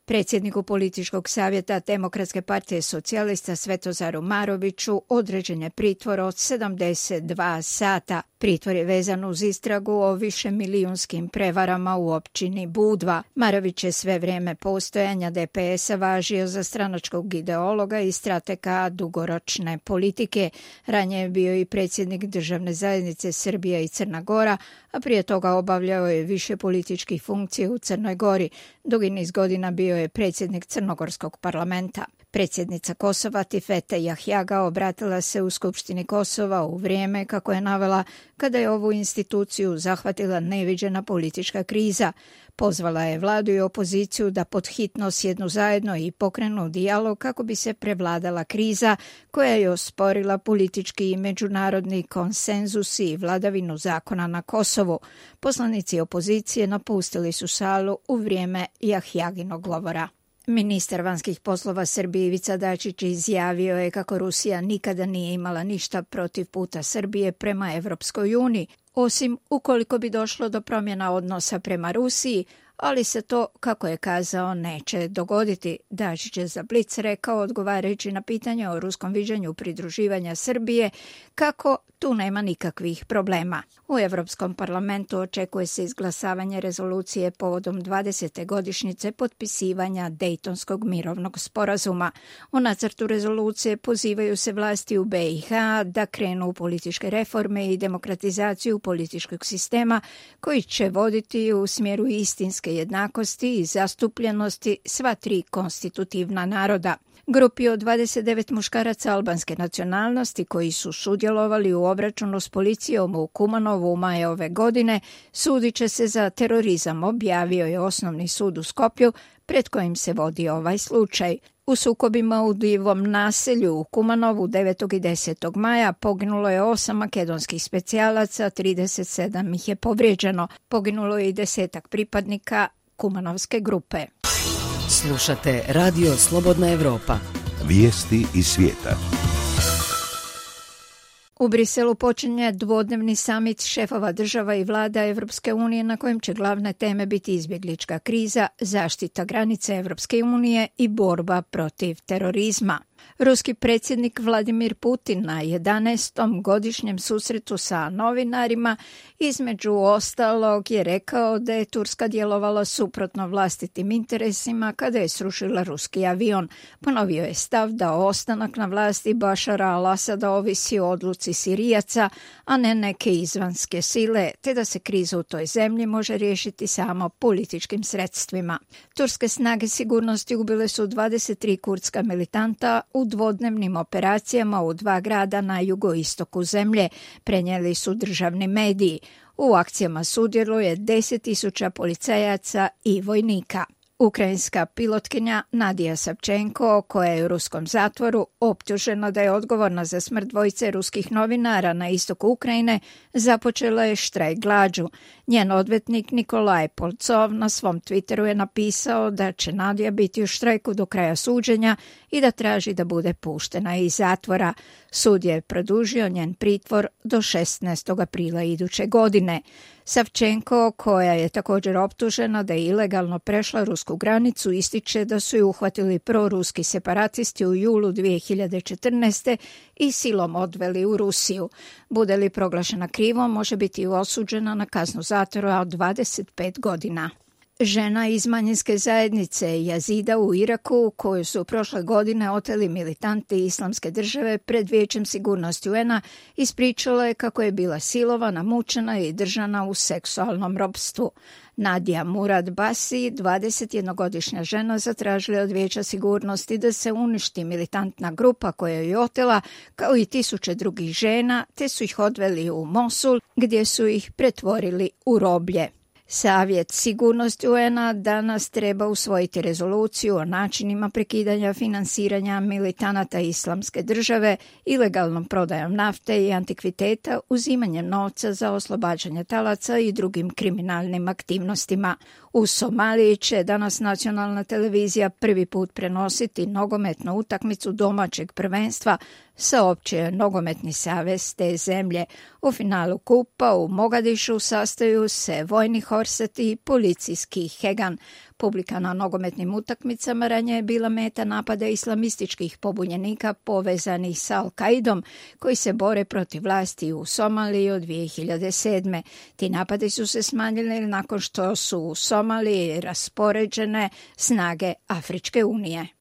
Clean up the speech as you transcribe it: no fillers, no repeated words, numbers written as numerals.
Predsjedniku političkog savjeta Demokratske partije socijalista Svetozaru Maroviću određen je pritvor od 72 sata. Pritvor je vezan uz istragu o višemilijunskim prevarama u općini Budva. Marović je sve vrijeme postojanja DPS-a važio za stranačkog ideologa i stratega dugoročne politike. Ranije je bio i predsjednik Državne zajednice Srbija i Crna Gora, a prije toga obavljao je više političkih funkcija u Crnoj Gori. Dugi niz godina bio je predsjednik Crnogorskog parlamenta. Predsjednica Kosova Tifete Jahjaga obratila se u Skupštini Kosova u vrijeme, kako je navela, kada je ovu instituciju zahvatila neviđena politička kriza. Pozvala je vladu i opoziciju da pod hitno sjednu zajedno i pokrenu dijalog kako bi se prevladala kriza koja je osporila politički i međunarodni konsenzus i vladavinu zakona na Kosovu. Poslanici opozicije napustili su salu u vrijeme Jahjaginog govora. Ministar vanjskih poslova Srbije Ivica Dačić izjavio je kako Rusija nikada nije imala ništa protiv puta Srbije prema Evropskoj uniji, osim ukoliko bi došlo do promjena odnosa prema Rusiji, ali se to, kako je kazao, neće dogoditi. Dačić je za Blic rekao, odgovarajući na pitanje o ruskom viđenju pridruživanja Srbije, kako tu nema nikakvih problema. U Europskom parlamentu očekuje se izglasavanje rezolucije povodom 20. godišnjice potpisivanja Dejtonskog mirovnog sporazuma. U nacrtu rezolucije pozivaju se vlasti u BiH da krenu u političke reforme i demokratizaciju političkog sistema koji će voditi u smjeru istinske jednakosti i zastupljenosti sva tri konstitutivna naroda. Grupi od 29 muškaraca albanske nacionalnosti koji su sudjelovali u obračunu s policijom u Kumanovu u maju ove godine sudit će se za terorizam, objavio je Osnovni sud u Skoplju pred kojim se vodi ovaj slučaj. U sukobima u Divom naselju u Kumanovu 9. i 10. maja poginulo je 8 makedonskih specijalaca, 37 ih je povrijeđeno. Poginulo je i 10 pripadnika Kumanovske grupe. Slušate Radio Slobodna Evropa. Vijesti iz svijeta. U Briselu počinje dvodnevni samit šefova država i vlada Evropske unije na kojem će glavne teme biti izbjeglička kriza, zaštita granice Evropske unije i borba protiv terorizma. Ruski predsjednik Vladimir Putin na 11. godišnjem susretu sa novinarima između ostalog je rekao da je Turska djelovala suprotno vlastitim interesima kada je srušila ruski avion. Ponovio je stav da ostanak na vlasti Bašara al-Asada ovisi o odluci Sirijaca, a ne neke izvanjske sile, te da se kriza u toj zemlji može riješiti samo političkim sredstvima. Turske snage sigurnosti ubile su 23 kurdska militanta u dvodnevnim operacijama u 2 grada na jugoistoku zemlje, prenijeli su državni mediji. U akcijama sudjeluje 10.000 policajaca i vojnika. Ukrajinska pilotkinja Nadija Savčenko, koja je u ruskom zatvoru, optužena da je odgovorna za smrt dvojice ruskih novinara na istoku Ukrajine, započela je štrajk glađu. Njen odvjetnik Nikolaj Polcov na svom Twitteru je napisao da će Nadija biti u štrajku do kraja suđenja i da traži da bude puštena iz zatvora. Sud je produžio njen pritvor do 16. aprila iduće godine. Savčenko, koja je također optužena da je ilegalno prešla rusku granicu, ističe da su ju uhvatili proruski separatisti u julu 2014. i silom odveli u Rusiju. Bude li proglašena krivom, može biti osuđena na kaznu zatvora od 25 godina. Žena iz manjinske zajednice Jazida u Iraku, koju su prošle godine oteli militanti Islamske države pred Vijećem sigurnosti UN-a, ispričala je kako je bila silovana, mučena i držana u seksualnom ropstvu. Nadija Murad Basi, 21-godišnja žena, zatražila od Vijeća sigurnosti da se uništi militantna grupa koja je otela, kao i 1000 drugih žena, te su ih odveli u Mosul, gdje su ih pretvorili u roblje. Savjet sigurnosti UN-a danas treba usvojiti rezoluciju o načinima prekidanja finansiranja militanata Islamske države, ilegalnom prodajom nafte i antikviteta, uzimanjem novca za oslobađanje talaca i drugim kriminalnim aktivnostima. U Somaliji će danas nacionalna televizija prvi put prenositi nogometnu utakmicu domaćeg prvenstva, saopćio nogometni savez te zemlje. U finalu kupa u Mogadišu sastaju se vojni Horset i policijski Hegan. Publika na nogometnim utakmicama ranije je bila meta napada islamističkih pobunjenika povezanih sa Al-Kaidom koji se bore protiv vlasti u Somaliji od 2007. Ti napadi su se smanjili nakon što su u Somaliji raspoređene snage Afričke unije.